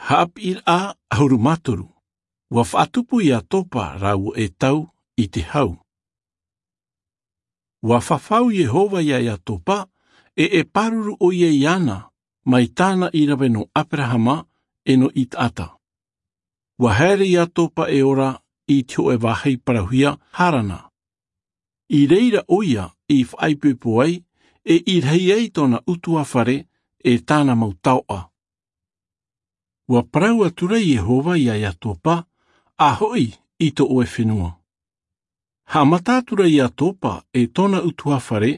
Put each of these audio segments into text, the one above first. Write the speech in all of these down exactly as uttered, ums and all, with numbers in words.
Haapir a ahuru matoru. Ua whaatupu i a topa rau e tau i te hau. Ua whawhau Yehova ia ia topa e e paruru o ia iana mai tāna i rawe no Aperahama e no Itaata. Ua haere i a topa e ora i te e wahei parahuia Harana. I reira oia i whaipepo ai e i rei ai tōna utua whare e tāna mautaoa. Ua parau atura Yehova ia ia topa a hoi i to oe whenua. Ha matatura i a topa e tōna utua whare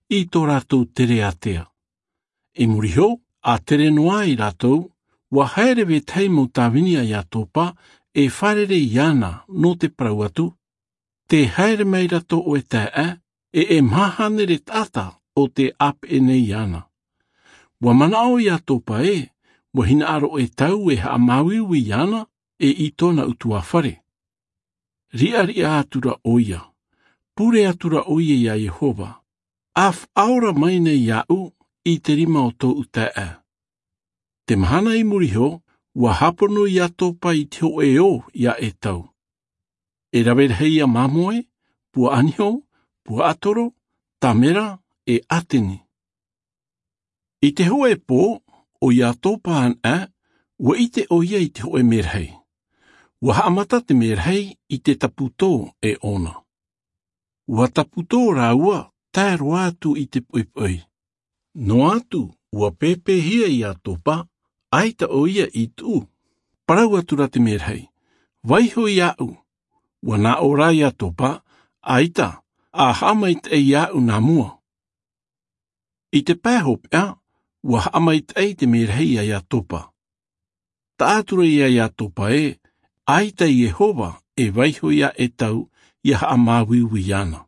i tō rātou tere atea. E muriho, a tere noa i rātou, ua haere ve tei mō tāwinia i a topa e wharere i ana no te parau atu, te haere mai rato o e tae e e mahanere tata o te ap e nei ana. Ua manao i a topa e, ua hina aro e tau e haa mawiwi i ana e i tōna utua whare. Ria ria atura oia, pure atura oia ia Yehova, af aora mai nei iau i te rima o tō utae. Te mahana i muriho, ua hapono i a topa i te ho e o ia e tau. E rawer hei a mamoe, pua aniho, pua atoro, tamera e ateni. I te ho e pō, o ia topa an a, ua i te oia i te ho e merhei. Ua haamata te merhei i te taputō e ona. Ua taputō rāua tae roa atu i te poipoi. No atu, ua pēpēhia i a topa, aita o ia i tū. Parau atura te merhei. Waiho i au. Ua nā ora i a topa, aita, a haamait e i au nā mua. I te pēhop ea, ua haamait ei te merhei ai a topa. Ta atura ia i a topa e, aita Yehova e waiho ia e tau ia haamawiwi ana.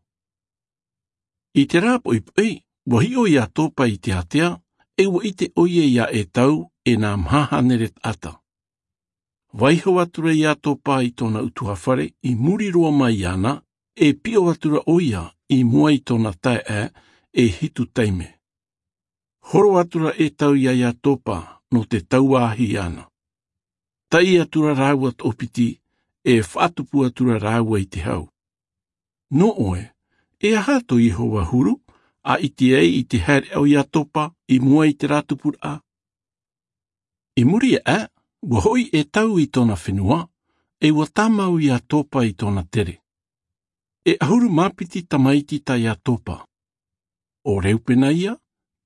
I te rāpo i pui, ua hio i a topa i te atea, e ua i te oie ia e tau e nā mahanere ata. Waiho atura i a topa i tōna utua whare i muri roa mai ana, e pio atura oia i mua i tōna tae e, e hitu teime. Horo atura e tau ia ia topa no te tauāhi ana. Tai atura rāua tōpiti e whatupu atura rāua i te hau. No oe, e aha tō Yehova huru, a i te ei i te haere au ia topa i mua i te rātupura. I muri e a, ua hoi e tau i tōna whenua, e ua tamau i a topa i tōna tere. E ahuru māpiti tamaiti tai a topa. O Reupena ia,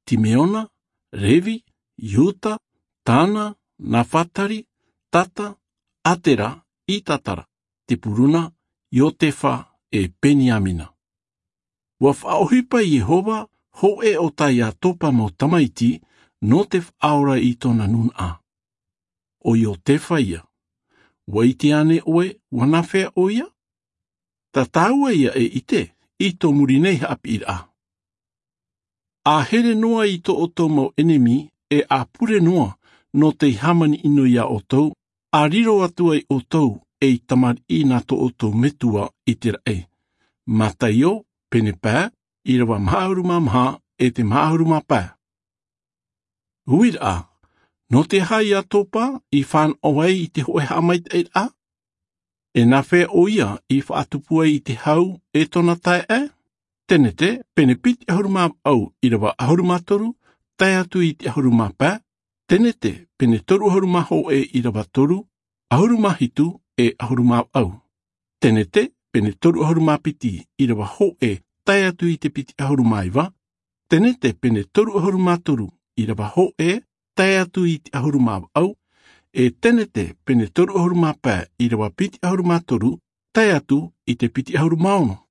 Timeona, Revi, Iuta, Tana, Nawhatari, Tata, Atera, i Tatara, Te Puruna, Iotefa e Peniamina. Ua whaohipa Yehova, ho e o tai a topa mō tamaiti, no te whaora i tōna nun a. O Iotefa ia. Ua i te ane oe, ua nawhea o ia? Ta tāua ia e ite, i tō muri nei haapira a. A here noa i tō o tō mau enemi, e a pure noa no te hamani ino ia o tau, a riro atu ai o tau e i tamari i nā tō o tau metua i te rae. Mataio, pene pā, i rawa mahauru mā maha e te mahauru mā pā. Uira a, no te hai a topa i whan o ai i te hoe haamait e a? E nā whea o ia i whaatupua i te hau e tōna tae e? Tenete, pene piti ahuru mā au i rawa ahuru mā toru, tae atu i te ahuru mā pā. Tenete, pene toru ahuru mā ho e i rawa toru, ahuru mā hitu e ahuru mā au. Tenete, pene toru ahuru mā piti i rawa ho e tae atu i te piti ahuru mā iwa. Tenete, pene toru ahuru mā toru i rawa ho e tae atu i te ahuru mā au. E tenete, pene toru ahuru mā pā i rawa piti ahuru mā toru, tae atu i te piti ahuru mā ono.